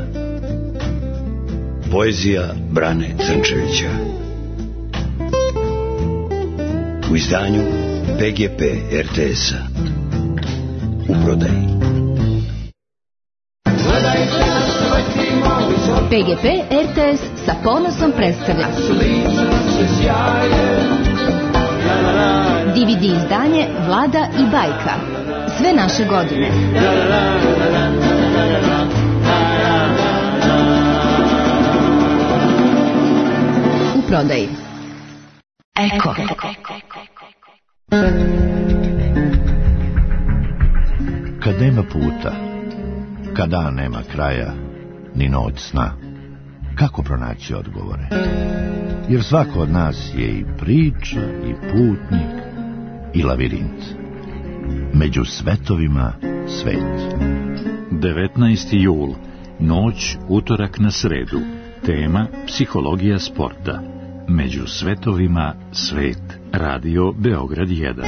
Poezija Brane Crnčevića. U izdanju P G P R T S-a. U prodaji. P G P R T S sa ponosom predstavlja D V D izdanje Vlada i bajka. Sve naše godine. U prodaji. Eko. Kad nema puta, kad dan nema kraja, ni noć sna, kako pronaći odgovore? Jer svako od nas je i priča, i putnik, i lavirint. Među svetovima svet. devetnaesti jul, noć, utorak na sredu. Tema psihologija sporta. Među svetovima svet. Radio Beograd jedan.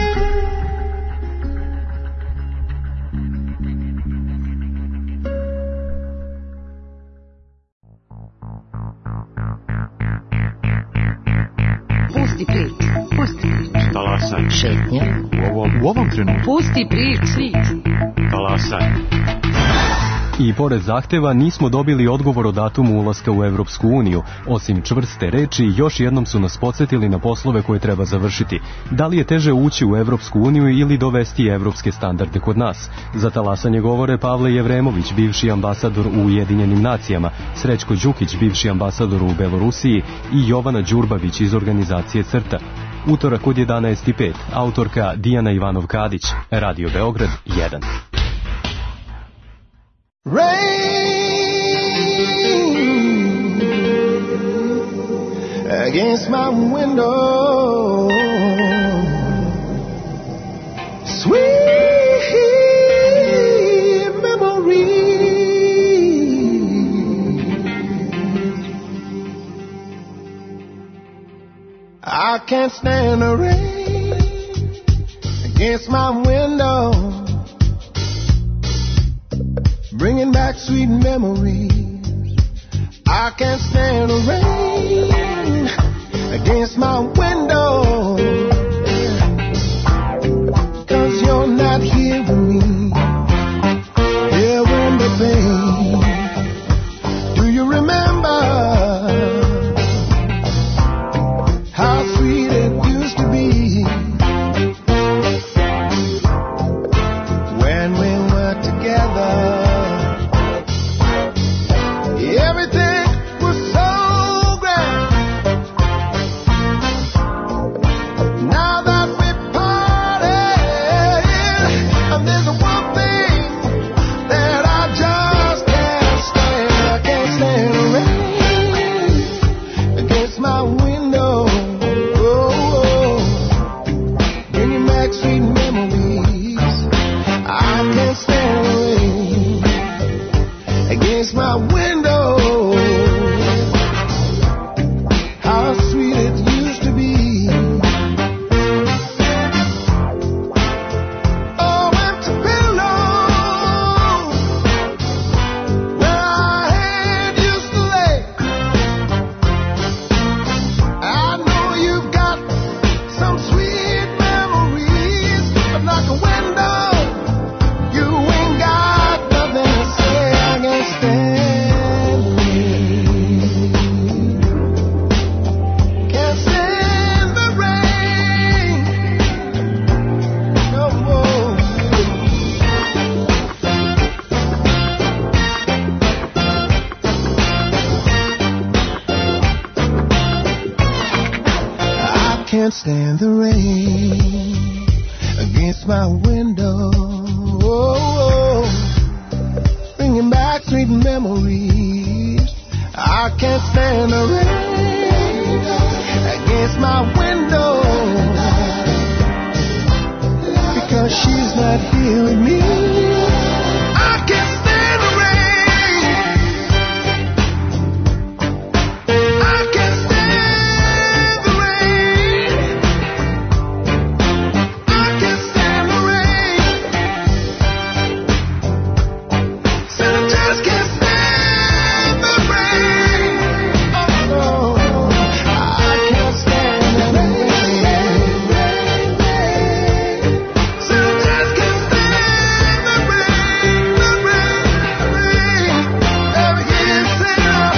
Pusti prič, pusti prič. Talasaj. Šetnja. U ovom, u ovom trenutku. Pusti prič. Talasaj. I pored zahteva nismo dobili odgovor o datumu ulaska u Evropsku uniju. Osim čvrste reči, još jednom su nas podsjetili na poslove koje treba završiti. Da li je teže ući u Evropsku uniju ili dovesti evropske standarde kod nas? Za talasanje govore Pavle Jevremović, bivši ambasador u Ujedinjenim nacijama, Srećko Đukić, bivši ambasador u Belorusiji i Jovana Đurbavić iz organizacije CRTA. Utorak od jedanaest i pet, autorka Dijana Ivanov-Kadić, Radio Beograd jedan. Rain against my window, sweet memory. I can't stand the rain against my window, bringing back sweet memories. I can't stand the rain against my window, 'cause you're not here with me. Here when the pain. Do you remember how sweet it used to be when we were together? Everything was so grand. Now that we parted, and there's one thing that I just can't stand. I can't stand the rain against my window. Oh, bringing back sweet memories. I can't stand the rain against my window. How sweet it used to be can't stand the rain against my window. Oh, bringing back sweet memories. I can't stand the rain against my window because she's not here with me. I can't stand the rain. I can't stand the rain. I can't stand the rain. Said I just can't stand the rain. Oh no, I can't stand the rain. Said I just can't stand the rain, the rain, the rain. Ever hear it say that?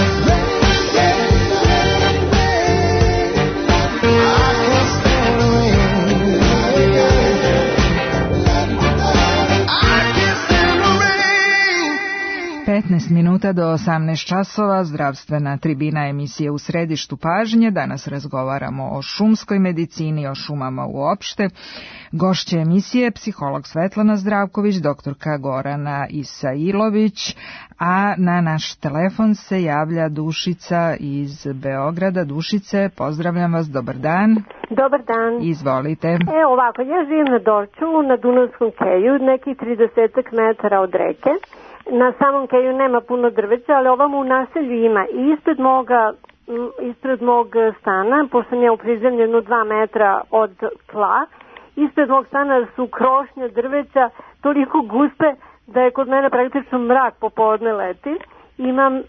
I can't stand the rain. I can't stand the rain. petnaest minuta do osamnaest časova, zdravstvena tribina emisije U središtu pažnje. Danas razgovaramo o šumskoj medicini, o šumama uopšte. Gošća emisije psiholog Svetlana Zdravković, doktorka Gorana Isailović, a na naš telefon se javlja Dušica iz Beograda. Dušice, pozdravljam vas, dobar dan. Dobar dan. Izvolite. E, ovako, ja živim na Dorčulu, na Dunavskom keju, nekih tridesetak metara od reke. Na samom keju nema puno drveća, ali ovamo u naselju ima. I ispred moga, m, ispred mog stana, pošto sam ja u prizemljenu dva metra od tla, ispred mog stana su krošnje drveća toliko guste da je kod mene praktično mrak popodne leti. Imam e,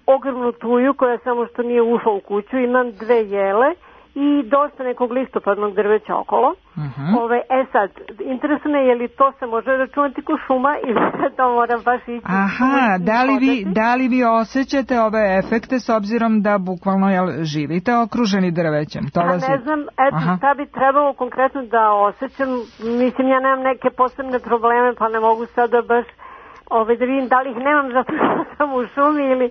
ogromnu tuju koja samo što nije ušla u kuću, imam dve jele i dosta nekog listopadnog drveća okolo. Uh-huh. Ove, e sad, interesno je li to se može računati ko šuma ili to moram baš ići. Aha, da li, vi, da li vi osjećate ove efekte s obzirom da bukvalno jel, živite okruženi drvećem? To A vas ne je... znam, eto Aha. šta bi trebalo konkretno da osjećam. Mislim, ja nemam neke posebne probleme pa ne mogu sada baš ove, da vidim da li ih nemam zato što sam u šumi ili...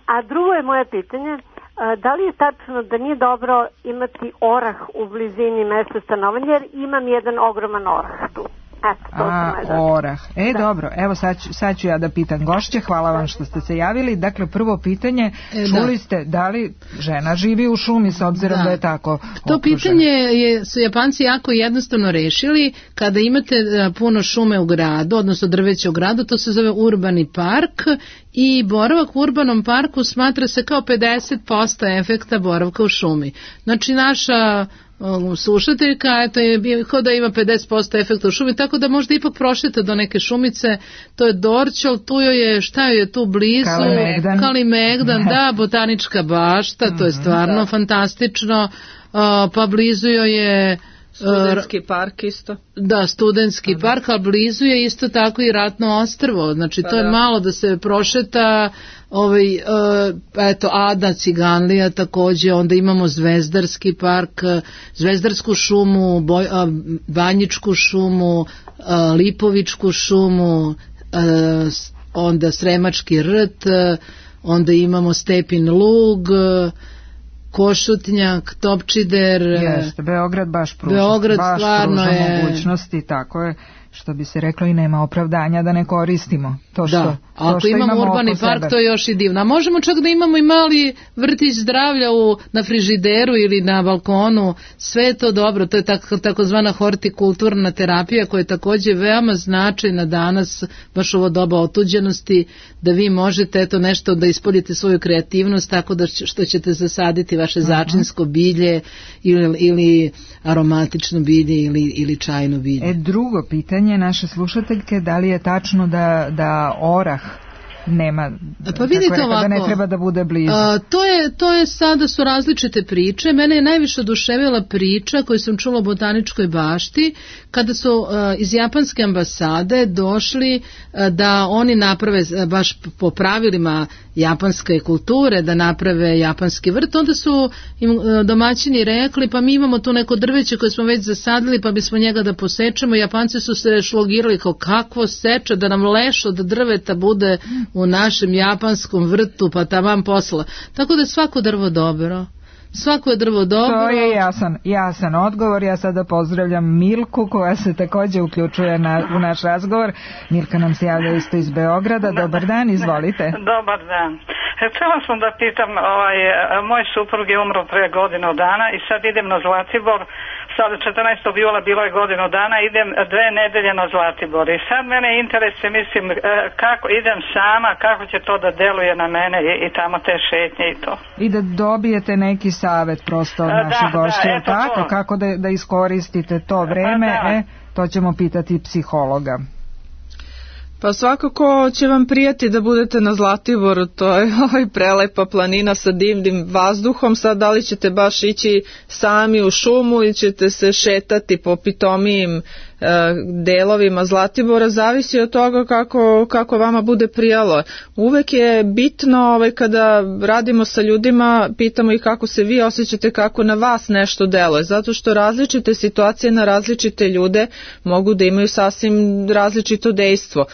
A drugo je moje pitanje, a, da li je tačno da nije dobro imati orah u blizini mesta stanovanja, jer imam jedan ogroman orah tu. Eto, to A, sam orah. E, Da. dobro, evo sad ću, sad ću ja da pitam gošće, hvala vam što ste se javili. Dakle, prvo pitanje, E, čuli da. ste da li žena živi u šumi s obzirom da, Da. je tako To okružena? pitanje je, su Japanci jako jednostavno rešili. Kada imate a, puno šume u gradu, odnosno drveća u gradu, to se zove urbani park i boravak u urbanom parku smatra se kao pedeset posto efekta boravka u šumi. Znači naša o, slušateljka, eto je bio kao da ima pedeset posto efekta u šumi, tako da možda ipak prošete do neke šumice, to je Dorčol, tu joj je, šta joj je tu blizu? Kalimegdan. Kalimegdan, da, botanička bašta, to je stvarno da. fantastično, a, pa blizu joj je Studentski park isto. Da, studentski park, a blizu je isto tako i Ratno ostrvo, znači Pa to je da. malo da se prošeta, ovaj, e, eto, Ada, Ciganlija takođe, onda imamo Zvezdarski park, e, Zvezdarsku šumu, Boj, a, Banjičku šumu, a, Lipovičku šumu, e, s- onda Sremački rt, e, onda imamo Stepin lug, e, Košutnjak, Topčider, e, Jeste, Beograd baš pruža, Beograd baš stvarno pruža je- mogućnosti, tako je, što bi se reklo i nema opravdanja da ne koristimo to što, Da, to ako što imamo urbani oko park, sebe. to je još i divno. A možemo čak da imamo i mali vrtić zdravlja u, na frižideru ili na balkonu, sve je to dobro, to je tako, takozvana hortikulturna terapija koja je takođe veoma značajna danas, baš ovo doba otuđenosti, da vi možete eto nešto da ispoljite svoju kreativnost tako da će- što ćete zasaditi vaše začinsko bilje ili, ili aromatično bilje ili, ili čajno bilje. E, drugo pitanje naše slušateljke, da li je tačno da, da orah nema, Pa vidite kako je rekla, da ne ovako, treba da bude blizu? A, to je to je sada su različite priče. Mene je najviše oduševila priča koju sam čula u botaničkoj bašti kada su a, iz japanske ambasade došli a, da oni naprave a, baš po pravilima japanske kulture da naprave japanski vrt, onda su im a, domaćini rekli pa mi imamo tu neko drveće koje smo već zasadili pa bismo njega da posečemo. Japanci su se šlogirali kao kakvo seče da nam leš od drveta bude u našem japanskom vrtu, pa taman posla. Tako da je svako drvo dobro. Svako je drvo dobro. To je jasan, jasan odgovor. Ja sada pozdravljam Milku koja se takođe uključuje na, u naš razgovor. Milka nam se javlja isto iz Beograda. Dobar dan, izvolite. Dobar dan. Htjela sam da pitam, ovaj, moj suprug je umro pre godinu dana i sad idem na Zlatibor. Sad četrnaestog jula bilo je godinu dana, idem dve nedelje na Zlatibor i sad mene interesuje, mislim, kako idem sama, kako će to da deluje na mene i, i tamo te šetnje i to. I da dobijete neki savet prosto od naših gošća, da, tako, to. Kako da, da iskoristite to vreme, da. E, to ćemo pitati psihologa. Pa svakako će vam prijati da budete na Zlatiboru, to je ovaj prelepa planina sa divnim vazduhom. Sad da li ćete baš ići sami u šumu ili ćete se šetati po pitomijim e, delovima Zlatibora, zavisi od toga kako, kako vama bude prijalo. Uvek je bitno ovaj, kada radimo sa ljudima, pitamo ih kako se vi osjećate, kako na vas nešto deluje, zato što različite situacije na različite ljude mogu da imaju sasvim različito dejstvo.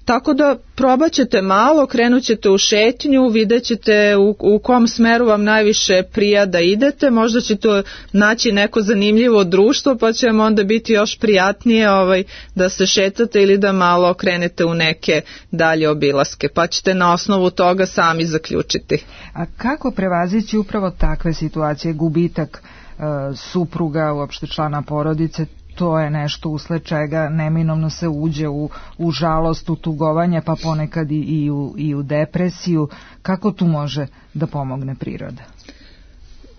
Tako da probat ćete malo, krenut ćete u šetnju, vidjet ćete u, u kom smeru vam najviše prija da idete, možda ćete naći neko zanimljivo društvo pa će vam onda biti još prijatnije ovaj, da se šetate ili da malo krenete u neke dalje obilaske, pa ćete na osnovu toga sami zaključiti. A kako prevazići upravo takve situacije, gubitak e, supruga, uopšte člana porodice? To je nešto usled čega neminovno se uđe u, u žalost, u tugovanje, pa ponekad i, i, u, i u depresiju. Kako tu može da pomogne priroda?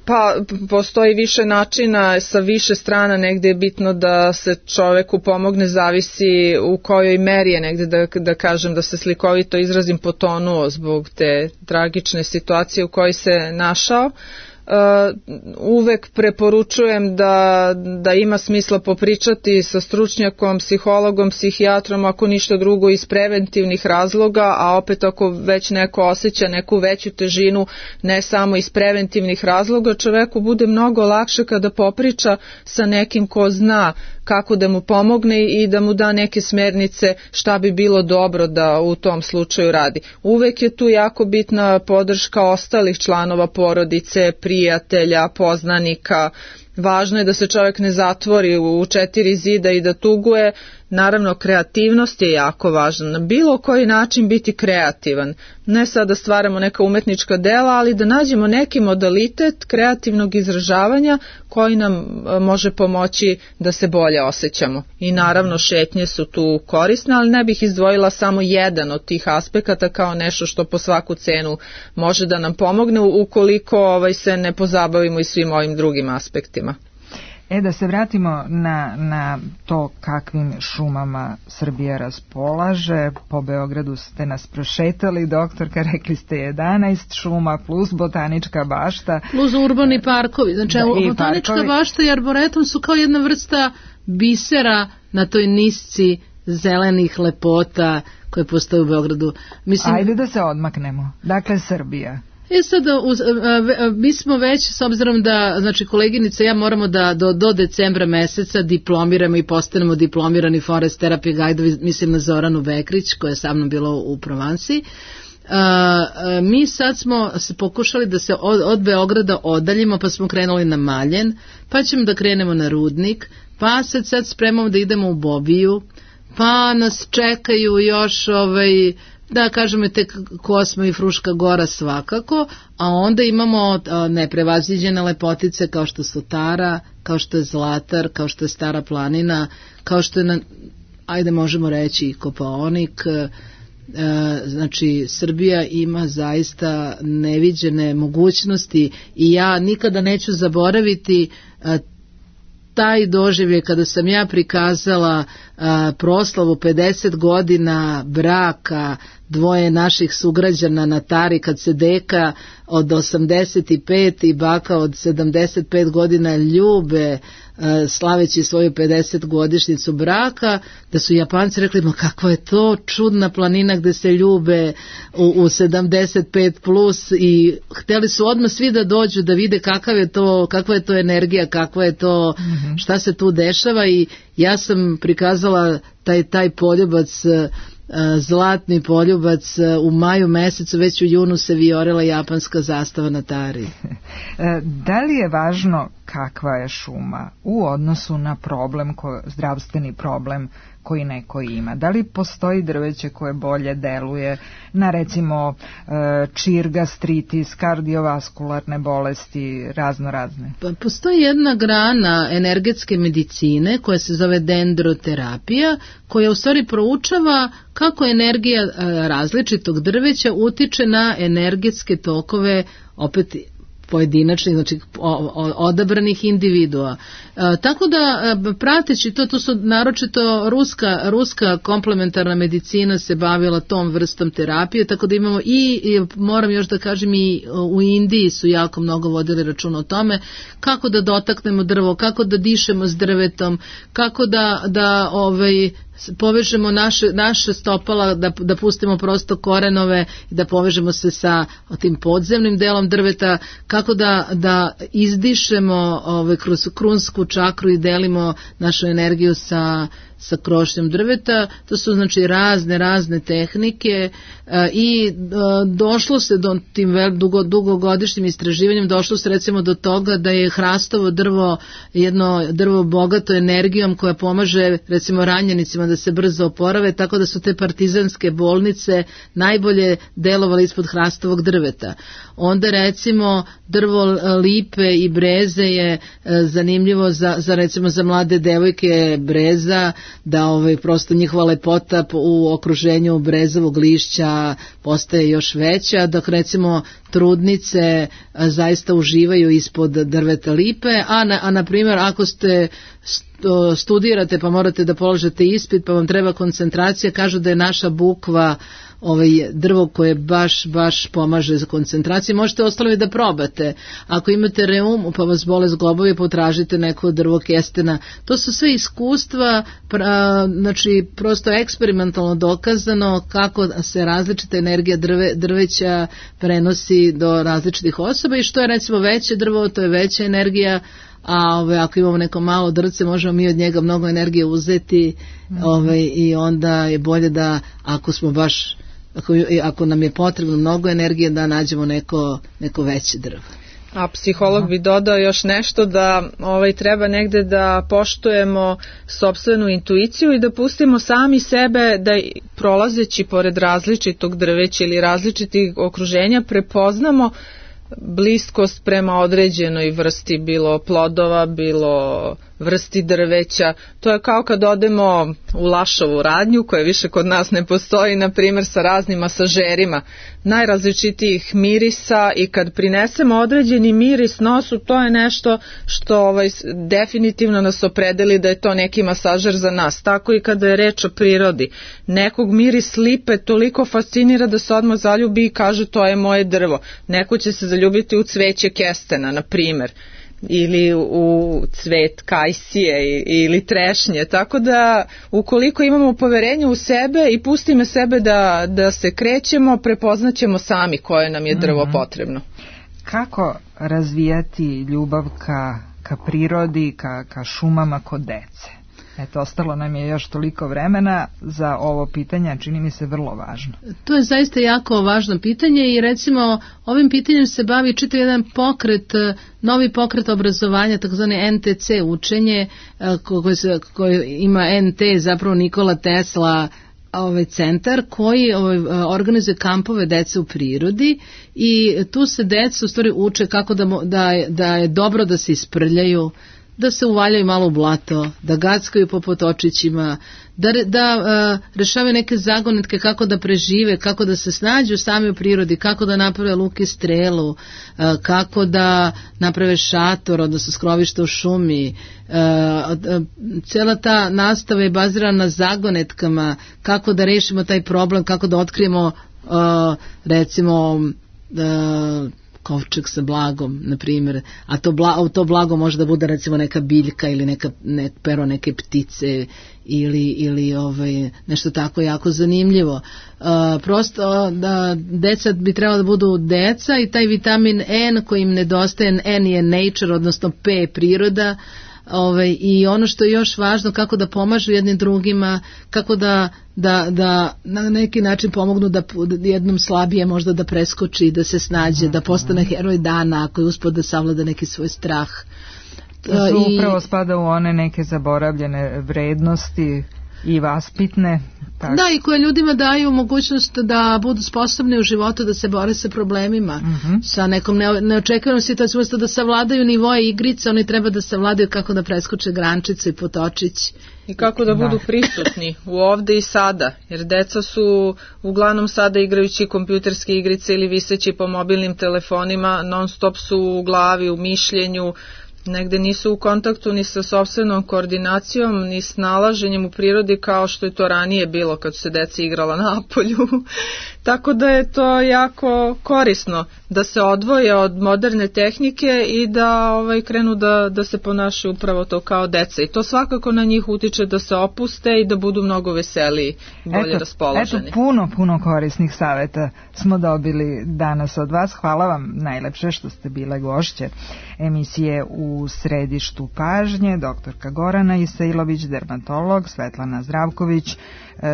Pa postoji više načina, sa više strana negde je bitno da se čoveku pomogne, zavisi u kojoj meri je negde da, da kažem, da se slikovito izrazim, potonuo zbog te tragične situacije u kojoj se našao. Uh, uvek preporučujem da, da ima smisla popričati sa stručnjakom, psihologom, psihijatrom, ako ništa drugo iz preventivnih razloga, a opet ako već neko osjeća neku veću težinu, ne samo iz preventivnih razloga, čoveku bude mnogo lakše kada popriča sa nekim ko zna kako da mu pomogne i da mu da neke smernice šta bi bilo dobro da u tom slučaju radi. Uvek je tu jako bitna podrška ostalih članova porodice, prijatelja, poznanika. Važno je da se čovjek ne zatvori u četiri zida i da tuguje. Naravno, kreativnost je jako važna. Na bilo koji način biti kreativan. Ne sad da stvaramo neka umetnička dela, ali da nađemo neki modalitet kreativnog izražavanja koji nam može pomoći da se bolje osjećamo. I naravno, šetnje su tu korisne, ali ne bih izdvojila samo jedan od tih aspekata kao nešto što po svaku cenu može da nam pomogne ukoliko ovaj, se ne pozabavimo i svim ovim drugim aspektima. E, da se vratimo na, na to kakvim šumama Srbija raspolaže. Po Beogradu ste nas prošetali, doktorka, rekli ste jedanaest šuma plus botanička bašta. Plus urbani parkovi. Znači, da, botanička parkovi. Bašta i arboretum su kao jedna vrsta bisera na toj nisci zelenih lepota koje postoje u Beogradu. Mislim, ajde da se odmaknemo. Dakle, Srbija. E sad, mi smo već, s obzirom da, znači, koleginica, ja moramo da do, do decembra meseca diplomiramo i postanemo diplomirani forest therapy guide, mislim na Zoranu Bekrić, koja je sa mnom bila u Provansi. Uh, mi sad smo pokušali da se od, od Beograda odaljimo, pa smo krenuli na Maljen, pa ćemo da krenemo na Rudnik, pa se sad spremamo da idemo u Bobiju, pa nas čekaju još ovaj... da kažemo te Kosma i Fruška gora svakako, a onda imamo neprevaziđene lepotice kao što su Tara, kao što je Zlatar, kao što je Stara planina, kao što je, na, ajde možemo reći i Kopaonik. E, znači Srbija ima zaista neviđene mogućnosti i ja nikada neću zaboraviti e, taj doživljaj kada sam ja prikazala a, proslavu pedeset godina braka dvoje naših sugrađana na Tari, kad se deka od osamdeset pet i baka od sedamdeset pet godina ljube a, slaveći svoju pedeset godišnjicu braka, da su Japanci rekli, ma kakva je to čudna planina gde se ljube u, u sedamdeset pet plus, i hteli su odmah svi da dođu da vide kakav je to, kakva je to energija, kakva je to, mm-hmm. šta se tu dešava, i ja sam prikazala taj, taj poljubac, zlatni poljubac u maju mesecu, već u junu se vijorila japanska zastava na Tari. Da li je važno kakva je šuma u odnosu na problem, ko, zdravstveni problem koji neko ima? Da li postoji drveće koje bolje deluje na recimo čir, gastritis, kardiovaskularne bolesti, razno razne? Pa postoji jedna grana energetske medicine koja se zove dendroterapija, koja u stvari proučava kako energija različitog drveća utiče na energetske tokove opet pojedinačnih, znači odabranih individua. E, tako da prateći to, to su naročito ruska, ruska komplementarna medicina se bavila tom vrstom terapije, tako da imamo i, i moram još da kažem i u Indiji su jako mnogo vodili računa o tome kako da dotaknemo drvo, kako da dišemo s drvetom, kako da, da ovaj, povežemo naše, naše stopala, da, da pustimo prosto korenove i da povežemo se sa tim podzemnim delom drveta, kako da, da izdišemo ovaj, kroz krunsku čakru i delimo našu energiju sa, sa krošnjom drveta. To su znači razne, razne tehnike e, i e, došlo se do tim vel, dugo, dugogodišnjim istraživanjem, došlo se recimo do toga da je hrastovo drvo jedno drvo bogato energijom koja pomaže recimo ranjenicima da se brzo oporave, tako da su te partizanske bolnice najbolje delovale ispod hrastovog drveta. Onda recimo drvo lipe i breze je e, zanimljivo za, za recimo za mlade devojke breza, da ovaj, prosto njihova lepota u okruženju brezovog lišća postaje još veća, dok recimo trudnice a, zaista uživaju ispod drveta lipe, a na, a na primjer ako ste studirate pa morate da položite ispit pa vam treba koncentracija, kažu da je naša bukva ovaj drvo koje baš, baš pomaže za koncentraciju. Možete ostalo i da probate. Ako imate reum pa vas bole zglobovi, potražite neko drvo kestena. To su sve iskustva, pra, znači prosto eksperimentalno dokazano kako se različita energija drve, drveća prenosi do različitih osoba i što je recimo veće drvo, to je veća energija, a ove, ako imamo neko malo drce, možemo mi od njega mnogo energije uzeti mm-hmm. ove, i onda je bolje da ako smo baš Ako, ako nam je potrebno mnogo energije da nađemo neko, neko veće drvo. A psiholog bi dodao još nešto da ovaj, treba negde da poštujemo sopstvenu intuiciju i da pustimo sami sebe da prolazeći pored različitog drveća ili različitih okruženja prepoznamo bliskost prema određenoj vrsti, bilo plodova, bilo vrsti drveća. To je kao kad odemo u Lašovu radnju, koja više kod nas ne postoji, na primjer sa raznim masažerima, najrazličitijih mirisa, i kad prinesemo određeni miris nosu, to je nešto što ovaj, definitivno nas opredeli da je to neki masažer za nas. Tako i kada je reč o prirodi. Nekog miris lipe toliko fascinira da se odmah zaljubi i kaže to je moje drvo. Neko će se zaljubiti u cveće kestena, na primjer, ili u cvet kajsije ili trešnje, tako da ukoliko imamo poverenje u sebe i pustimo sebe da, da se krećemo, prepoznaćemo sami koje nam je drvo mm-hmm. potrebno. Kako razvijati ljubav ka, ka prirodi, ka, ka šumama kod dece? Eto, ostalo nam je još toliko vremena za ovo pitanje, čini mi se vrlo važno. To je zaista jako važno pitanje i recimo ovim pitanjem se bavi čitav jedan pokret, novi pokret obrazovanja, takozvani en te ce učenje, koji, se, koji ima en te, zapravo Nikola Tesla, ovaj centar koji ovaj, organizuje kampove dece u prirodi i tu se deca u stvari uče kako da, da, da je dobro da se isprljaju, da se uvaljaju malo u blato, da gackaju po potočićima, da, da uh, rešavaju neke zagonetke kako da prežive, kako da se snađu sami u prirodi, kako da naprave luk i strelu, uh, kako da naprave šator, odnosno skrovište u šumi. Uh, uh, cela ta nastava je bazirana na zagonetkama, kako da rešimo taj problem, kako da otkrijemo uh, recimo uh, kovčeg sa blagom, na primjer, a to, bla, to blago može da bude recimo neka biljka ili neka, ne, pero neke ptice ili, ili ovaj, nešto tako jako zanimljivo. Uh, prosto da deca bi trebalo da budu deca i taj vitamin N koji im nedostaje, N je nature, odnosno P je priroda, ovaj, i ono što je još važno, kako da pomažu jednim drugima, kako da, da, da na neki način pomognu da jednom slabije možda da preskoči, da se snađe, da postane heroj dana ako je uspio da savlada neki svoj strah. To su upravo spada u one neke zaboravljene vrednosti i vaspitne. Tako. Da, i koje ljudima daju mogućnost da budu sposobni u životu da se bore sa problemima, uh-huh. sa nekom ne, neočekivanom situacijom, umjesto da savladaju nivoje igrice, oni treba da savladaju kako da preskoče grančice i potočić. I kako da budu prisutni u ovde i sada, jer deca su uglavnom sada igrajući kompjuterske igrice ili viseći po mobilnim telefonima, non stop su u glavi, u mišljenju, negde nisu u kontaktu ni sa sopstvenom koordinacijom, ni snalaženjem u prirodi kao što je to ranije bilo kad su se deca igrala napolju. Tako da je to jako korisno da se odvoje od moderne tehnike i da ovaj, krenu da, da se ponašaju upravo to kao deca. I to svakako na njih utiče da se opuste i da budu mnogo veseliji, bolje eto, raspoloženi. Eto, puno, puno korisnih saveta smo dobili danas od vas. Hvala vam najlepše što ste bile gošće emisije U središtu pažnje, doktorka Gorana Isailović, dermatolog, Svetlana Zdravković,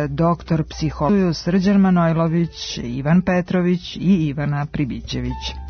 doktor psihologije Srđan Manojlović, Ivan Petrović i Ivana Pribićević.